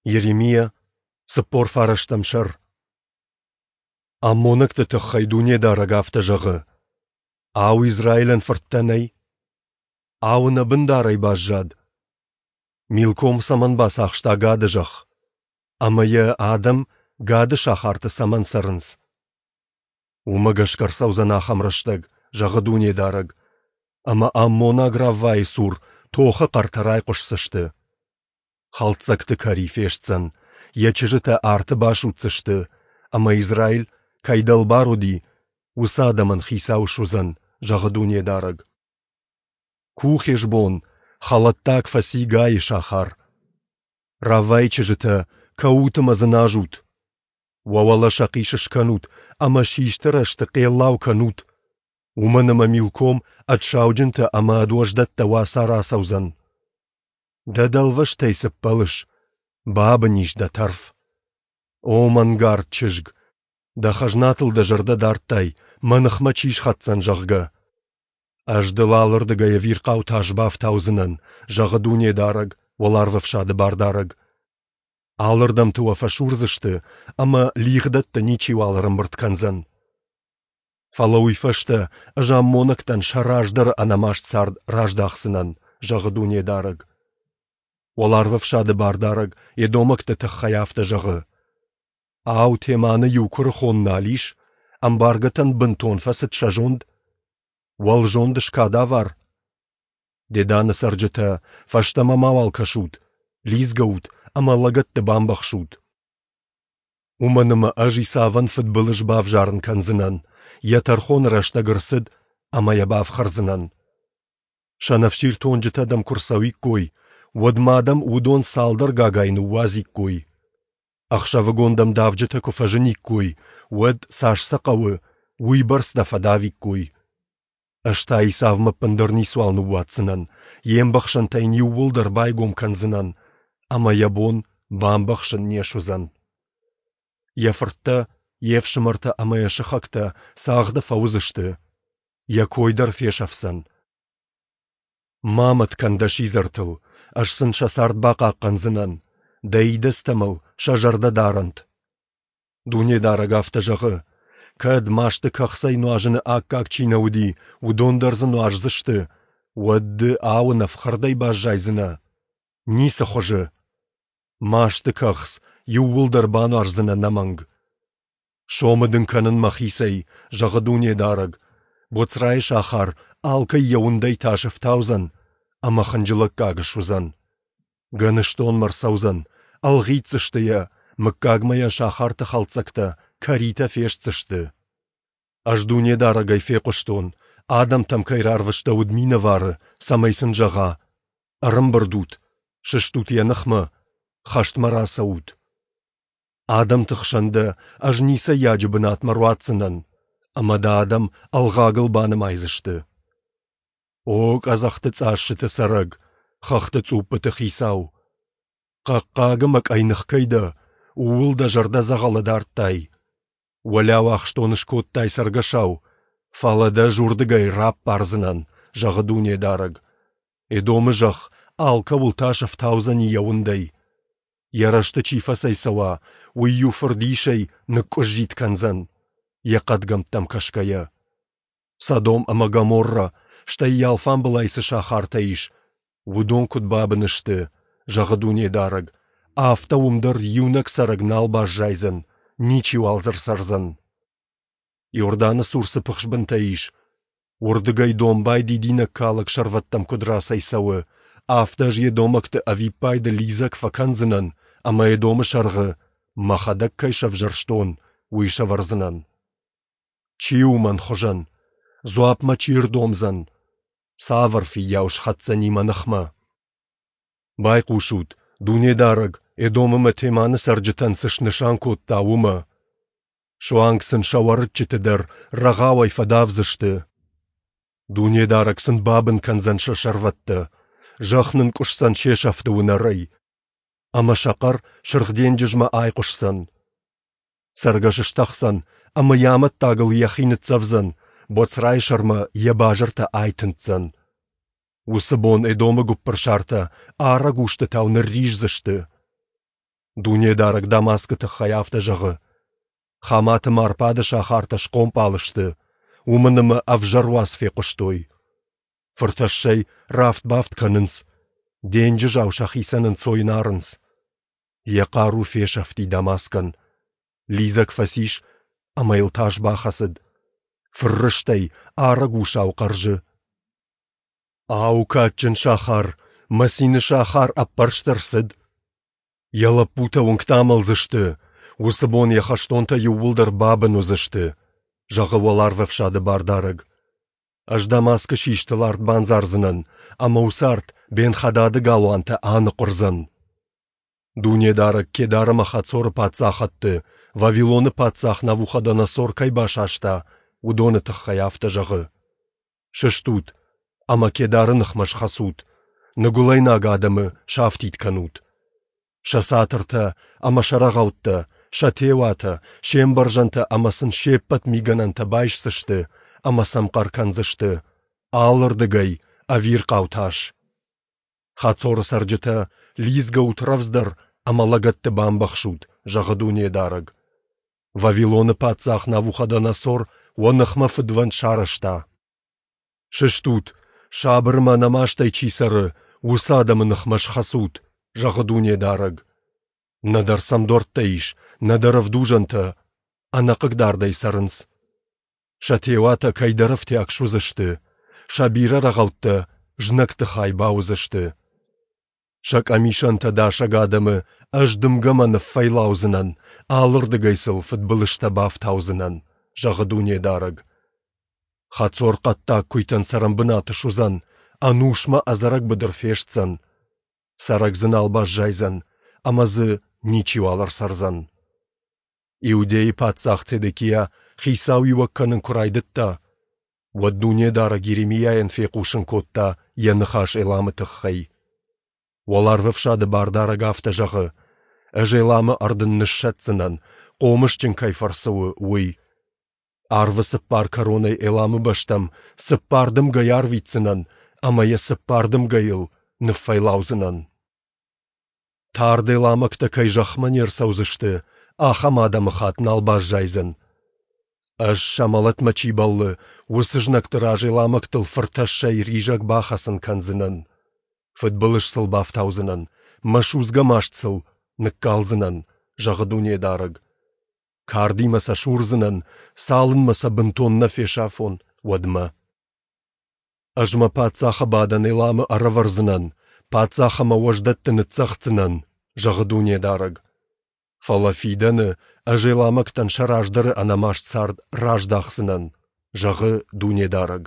Йеремиа, 49 сӕр. Аммонӕгты тыххӕй Дунедарӕг афтӕ зӕгъы: Ау, Израилӕн фырттӕ нӕй? Ау, ӕнӕ бындарӕй баззад? Милком цӕмӕн бацахста Гады зӕхх? Ӕмӕ йӕ адӕм Гады сахарты цӕмӕн цӕрынц? Уымӕ гӕсгӕ ӕрцӕудзӕн ахӕм рӕстӕг, зӕгъы Дунедарӕг, ӕмӕ аммонаг Раввайы цур тохы хъӕртӕ райхъуысдзысты. Хӕлддзӕгты кӕри фестдзӕн, йӕ чызджытӕ арты басудздзысты, ӕмӕ Израиль, кӕй дӕлбар уыди, уыцы адӕмӕн хицау суыдзӕн, зӕгъы Дунедарӕг. Ку Хешбон, хӕлӕттаг фӕци Гайы сахар. Раввайы чызджытӕ, кӕут ӕмӕ дзыназут! Уӕ уӕлӕ сӕхъис скӕнут ӕмӕ систы рӕзты хъеллау кӕнут, уымӕн ӕмӕ Милком ӕд сауджынтӕ ӕмӕ ӕд уӕздӕттӕ уацары ацӕудзӕн. Дӕ дӕлвӕзтӕй цы ппӕлыс? Бабын ис дӕ тӕрф. О мӕнгард чызг, дӕ хӕзнатыл дӕ зӕрдӕ дардтай, мӕ ныхмӕ чи схӕцдзӕн, зӕгъгӕ. Ӕз дыл алырдыгӕй ӕвирхъау тас бафтаудзынӕн, зӕгъы Дунедарӕг, Уӕларвӕфсады Бардарӕг. Алырдӕмты уӕ фӕсурдзысты, ӕмӕ лигъдӕттӕ ничиуал ӕрӕмбырд кӕндзӕн. Фӕлӕ уый фӕстӕ ӕз аммонӕгтӕн сӕ раздӕры ӕнӕмаст цард раздахдзынӕн, зӕгъы Дунедарӕг. Уӕларвӕфсады Бардарӕг Едомӕгты тыххӕй афтӕ зӕгъы: Ау, Теманы иу куырыхон нал ис, ӕмбаргӕтӕн бынтон фӕцыд сӕ зонд? Уӕлзонд скадавар? Деданы цӕрджытӕ, фӕстӕмӕ мауал кӕсут, лидзгӕ ут ӕмӕ лӕгӕтты бамбӕхсут. Уымӕн ӕмӕ ӕз Исавӕн фыдбылыз бавзарын кӕндзынӕн, йӕ тӕрхоны рӕстӕг ӕрцыд, ӕмӕ йӕ бафхӕрдзынӕн. Сӕнӕфсиртонджытӕ дӕм куы рцӕуиккой, уӕд ма дӕм уыдон цалдӕр гагайы ныууадзиккой. Ӕхсӕвыгон дӕм давджытӕ куы фӕзыниккой, уӕд, цас сӕ хъӕуы, уыйбӕрц дӕ фӕдавиккой. Ӕз та Исавмӕ ӕппындӕр ницуал ныууадздзынӕн, йе мбӕхсӕнтӕ йын иууылдӕр байгом кӕндзынӕн, ӕмӕ йӕ бон бамбӕхсын не суыдзӕн. Йӕ фырттӕ, йе фсымӕртӕ ӕмӕ йӕ сыхӕгтӕ цагъды фӕуыдзысты, йӕ кой дӕр фесӕфдзӕн. Ма мӕт кӕн дӕ сидзӕртыл, ӕз сын сӕ цард бахъахъхъӕндзынӕн, дӕ идӕдзтӕ мыл сӕ зӕрдӕ дарӕнт. Дунедарӕг афтӕ зӕгъы: кӕд масты кӕхцӕй нуазыны аккаг чи нӕ уыди, уыдон дӕр дзы нуаздзысты, уӕд ды ауын ӕфхӕрдӕй баззайдзынӕ? Ницы хуызы! Масты кӕхц иууылдӕр бануаздзынӕ ӕнӕмӕнг. Сомы дын кӕнын мӕхицӕй, зӕгъы Дунедарӕг, Боцрайы сахар алкӕй йӕ уындӕй тас ӕфтаудзӕн ӕмӕ хынджылӕггаг суыдзӕн. Гӕныстонмӕ рцӕудзӕн, ӕлгъитдзысты йӕ, мыггагмӕ йӕ сахарты хӕлддзӕгтӕ, кӕритӕ фестдзысты. Ӕз Дунедарӕгӕй фехъуыстон, адӕмтӕм кӕй рарвыстӕуыд минӕвары, цӕмӕй сын зӕгъа: «Ӕрӕмбырд ут, сыстут йӕ ныхмӕ, хӕстмӕ рацӕут». Адӕмты хсӕн дӕ ӕз ницӕййаджы бынатмӕ руадздзынӕн, ӕмӕ дӕ адӕм ӕлгъагыл банымайдзысты. О, къӕдзӕхты цъассыты цӕрӕг, хӕхты цъуппыты хицау! Хъӕхъхъаг ӕмӕ къӕйных кӕй дӕ, ууыл дӕ зӕрдӕ дзӕгъӕлы дардтай. Уӕлӕу ахстон скодтай цӕргӕсау, фӕлӕ дӕ ӕз уырдыгӕй раппардзынӕн, зӕгъы Дунедарӕг. Эдомы зӕхх алкӕуыл тас ӕфтаудзӕни йӕ уындӕй. Йӕ рӕзты чи фӕцӕйцӕуа, уый-иу фырдисӕй ныкъкъуыззитт кӕндзӕн, йӕ хъӕдгӕмттӕм кӕсгӕйӕ. Содом ӕмӕ Гоморра, стӕй йӕ алфамбылай цы сахартӕ ис, уыдон куыд бабын сты, зӕгъы Дунедарӕг, афтӕ уым дӕр иунӕг цӕрӕг нал баззайдзӕн, ничиуал дзы ӕрцӕрдзӕн. Иорданы цур цы пыхсбынтӕ ис, уырдыгӕй домбай дидинӕгкалӕг сӕрвӕттӕм куыд рацӕйцӕуы, афтӕ ӕз едомӕгты ӕвиппайды лидзӕг фӕкӕндзынӕн ӕмӕ Эдомы сӕргъы, мӕхӕдӕг кӕй сӕвзӕрстон, уый сӕвӕрдзынӕн. Чи у мӕн хуызӕн? Дзуапп мӕ чи рдомдзӕн? Цавӕр фыййау схӕцдзӕни мӕ ныхмӕ? Байхъусут, Дунедарӕг Эдом ӕмӕ Теманы цӕрджытӕн цы снысан кодта, уымӕ. Суанг сын сӕ уӕрыччыты дӕр рӕгъауӕй фӕдавдзысты. Дунедарӕг сын бабын кӕндзӕн сӕ сӕрвӕттӕ, зӕхх нынкъуысдзӕн се сӕфты уынӕрӕй, ӕмӕ сӕ хъӕр Сырх денджызмӕ айхъуысдзӕн. Цӕргӕс стӕхдзӕн ӕмӕ йӕ амӕттагыл йӕхи ныццӕвдзӕн, Боцрайы сӕрмӕ йӕ базыртӕ айтындздзӕн. Уыцы бон Эдомы гуыппырсартӕ арӕг устытау нырриздзысты. Дунедарӕг Дамаскы тыххӕй афтӕ зӕгъы: Хамат ӕмӕ Арпады сахартӕ схъомпал сты, уымӕн ӕмӕ ӕвзӕр уац фехъуыстой. Фыртӕссӕй рафт-бафт кӕнынц, денджызау сӕхицӕн ӕнцой нарынц. Йӕ хъару фесӕфти Дамаскӕн. Лидзӕг фӕцис ӕмӕ йыл тас бахӕцыд. Фыррыстӕй арӕг усау хъӕрзы. Ау, кадджын сахар, мӕ цины сахар ӕппӕрст ӕрцыд? Йӕ лӕппутӕ уынгты амӕлдзысты, уыцы бон йӕ хӕстонтӕ иууылдӕр бабын уыдзысты, зӕгъы уӕларвӕфсады Бардарӕг. Ӕз Дамаскы систыл арт бандзардзынӕн, ӕмӕ уыцы арт Бен-Хадады галуантӕ аныхъуырдзӕн. Дунедарӕг Кедар ӕмӕ Хацоры паддзахӕдты, Вавилоны паддзах Навуходоносор кӕй басаста, уыдоны тыххӕй афтӕ зӕгъы: Сыстут ӕмӕ Кедары ныхмӕ схӕцут, ныгуылӕйнаг адӕмы сафтид кӕнут. Сӕ цатыртӕ ӕмӕ сӕ рӕгъӕуттӕ, сӕ теуатӕ, се мбӕрзӕнтӕ ӕмӕ сын се ппӕт мигӕнӕнтӕ байсдзысты ӕмӕ сӕм хъӕр кӕндзысты алырдыгӕй ӕвирхъау тас. Хацоры цӕрджытӕ, лидзгӕут рӕвдздӕр ӕмӕ лӕгӕтты бамбӕхсут, зӕгъы Дунедарӕг. Вавилоны паддзах Навуходоносор уӕ ныхмӕ фыдвӕнд сарӕзта. Сыстут, сабыр ӕмӕ ӕнӕмастӕй чи цӕры, уыцы адӕмы ныхмӕ схӕцут, зӕгъы Дунедарӕг. Нӕдӕр сӕм дуӕрттӕ ис, нӕдӕр ӕвдузӕнтӕ, ӕнӕхъыгдардӕй цӕрынц. Сӕ теуатӕ кӕйдӕр ӕфтиаг суыдзысты, сӕ бирӕ рӕгъӕуттӕ знӕгты хай бауыдзысты. Сӕ къӕмисӕнтӕ дасӕг адӕмы ӕз дымгӕмӕ ныффӕйлаудзынӕн, алырдыгӕй сыл фыдбылызтӕ бафтаудзынӕн, зӕгъы Дунедарӕг. Хацор хъӕддаг куыйтӕн цӕрӕнбынат суыдзӕн, ӕнусмӕ ӕдзӕрӕг быдыр фестдзӕн. Цӕрӕг дзы нал баззайдзӕн, ӕмӕ дзы ничиуал ӕрцӕрдзӕн. Иудейы паддзах Цедекиа хицауиуӕг кӕнын куы райдыдта, уӕд Дунедарӕг Йеремиайӕн фехъусын кодта йӕ ныхас Эламы тыххӕй. Уӕларвӕфсады Бардарӕг афтӕ зӕгъы: Ӕз Эламы ӕрдын ныссӕтдзынӕн, хъомысджын кӕй фӕрцы у, уый. Арвы цыппар кӕронӕй Эламы бӕстӕм цыппар дымгӕйы арвитдзынӕн ӕмӕ йӕ цыппар дымгӕйыл ныффӕйлаудзынӕн. Тард эламӕгтӕ кӕй зӕхмӕ не рцӕудзысты, ахӕм адӕмыхатт нал баззайдзӕн. Ӕз, сӕ мӕлӕтмӕ чи бӕллы, уыцы знӕгты раз эламӕгтыл фыртӕссӕй ризӕг бахӕцын кӕндзынӕн. Фыдбылыз сыл бафтаудзынӕн, мӕ судзгӕ маст сыл ныккалдзынӕн, зӕгъы Дунедарӕг. Кардимӕ сӕ сурдзынӕн, цалынмӕ сӕ бынтон нӕ фесафон, уӕдмӕ. Ӕз мӕ паддзахы бадӕн Эламы ӕрӕвӕрдзынӕн, паддзах ӕмӕ уӕздӕтты ныццӕгъддзынӕн, зӕгъы Дунедарӕг. Фӕлӕ фидӕны ӕз эламӕгтӕн сӕ раздӕры ӕнӕмаст цард раздахдзынӕн, зӕгъы Дунедарӕг.